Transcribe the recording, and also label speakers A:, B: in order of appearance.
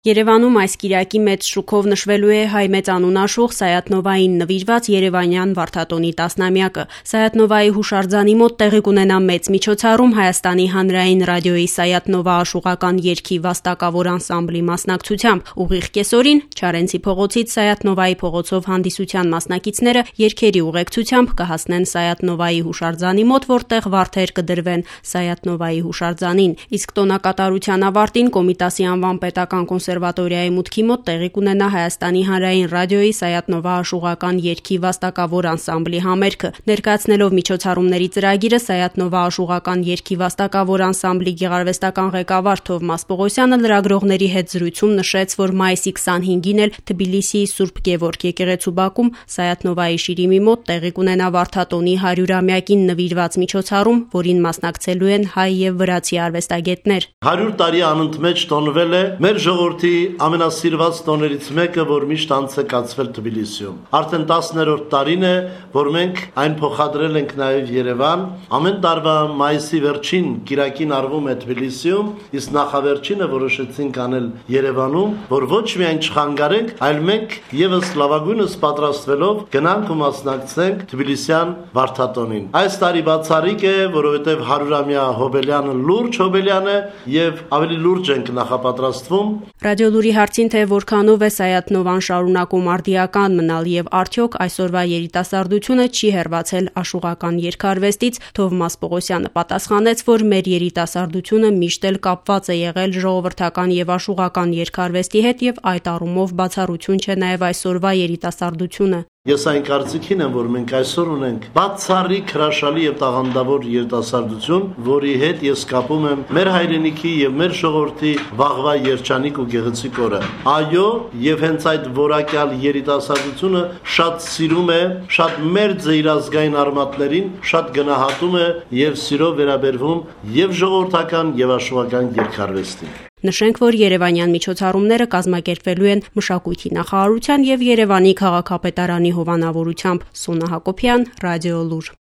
A: Երևանում այս կիրակի մեծ շուքով նշվելու է հայ մեծանուն աշուղ Սայաթ-Նովային նվիրված երևանյան վարդատոնի 10-ամյակը։ Սայաթ-Նովայի հուշարձանի մոտ տեղի կունենա մեծ միջոցառում Հայաստանի հանրային ռադիոյի Սայաթ-Նովա աշուղական երգի վաստակավոր անսամբլի մասնակցությամբ։ Ուղիղ կեսօրին Չարենցի փողոցից Սայաթ-Նովայի փողոցով հանդիսության մասնակիցները երգերի ուղեկցությամբ կհասնեն Սայաթ-Նովայի հուշարձանի մոտ, որտեղ վարդեր կդրվեն Սայաթ-Նովայի հուշարձանին։ Իսկ տոնակատարության ավարտին Կոմիտասի անվան պետական կոնսերվատորիայի մուտքի մոտ տեղի կունենա Հայաստանի հանրային ռադիոյի Սայաթ-Նովա աշուղական երգի վաստակավոր անսամբլի համերգը։ Ներկայացնելով միջոցառումների ծրագիրը Սայաթ-Նովա աշուղական երգի վաստակավոր անսամբլի գեղարվեստական ղեկավար Թովմաս Պողոսյանը լրագրողների հետ զրույցում նշեց, որ մայիսի 25-ին էլ Թբիլիսիի Սուրբ Գևորգ եկեղեցու բակում Սայաթ-Նովայի շիրիմի մոտ տեղի կունենա վարդատոնի 100-ամյակին նվիրված միջոցառում, որին մասնակցելու են հայ եւ վրացի արվեստագետներ։
B: 100 տարի անընդմեջ տոնվել է մեր ժողովրդի ամենասիրված տոներից մեկը, որ միշտ անց է կացվել Թբիլիսիում։ Արդեն 10-րդ տարին է, որ մենք այն փոխադրել ենք նաև Երևան։ Ամեն տարվա մայիսի վերջին կիրակին արվում է Թբիլիսիում, իսկ նախավերջինը որոշեցինք անել Երևանում, որ ոչ միայն չխանգարենք, այլ մենք եւս լավագույնս պատրաստվելով գնանք ու մասնակցենք Թբիլիսյան վարդատոնին։ Այս տարի բացառիկ է, որովհետև 100-ամյա հոբելյանը լուրջ հոբելյան է եւ ավելի լուրջ ենք նախապատրաստվում։
A: Ռադիոլուրի հարցին, թե որքանով է Սայաթ-Նովան շարունակում արդիական մնալ եւ արդյոք այսօրվա երիտասարդությունը չի հեռացել աշուղական երգարվեստից, Թովմաս Պողոսյանը պատասխանեց, որ մեր երիտասարդությունը միշտ էլ կապված է եղել ժողովրդական եւ աշուղական երգարվեստի հետ եւ այդ առումով բացառություն չէ նաեւ այսօրվա երիտասարդությունը։
B: Ես այն կարծիքին եմ, որ մենք այսօր ունենք բացառիկ հրաշալի եւ տաղանդավոր երիտասարդություն, որի հետ ես կապում եմ մեր հայրենիքի եւ մեր ժողովրդի վաղվա երջանիկ ու գեղեցիկ օրը։ Այո, եւ հենց այդ որակյալ երիտասարդությունը շատ սիրում է, շատ մերձ է իր ազգային արմատներին, շատ գնահատում է եւ սիրով վերաբերվում եւ ժողովրդական եւ աշուղական երգարվեստին։
A: Նշենք, որ երևանյան միջոցառումները կազմակերպվելու են Մշակույթի նախարարության եւ Երևանի քաղաքապետարանի հովանավորությամբ։ Սոնա Հակոբյան, Ռադիոլուր։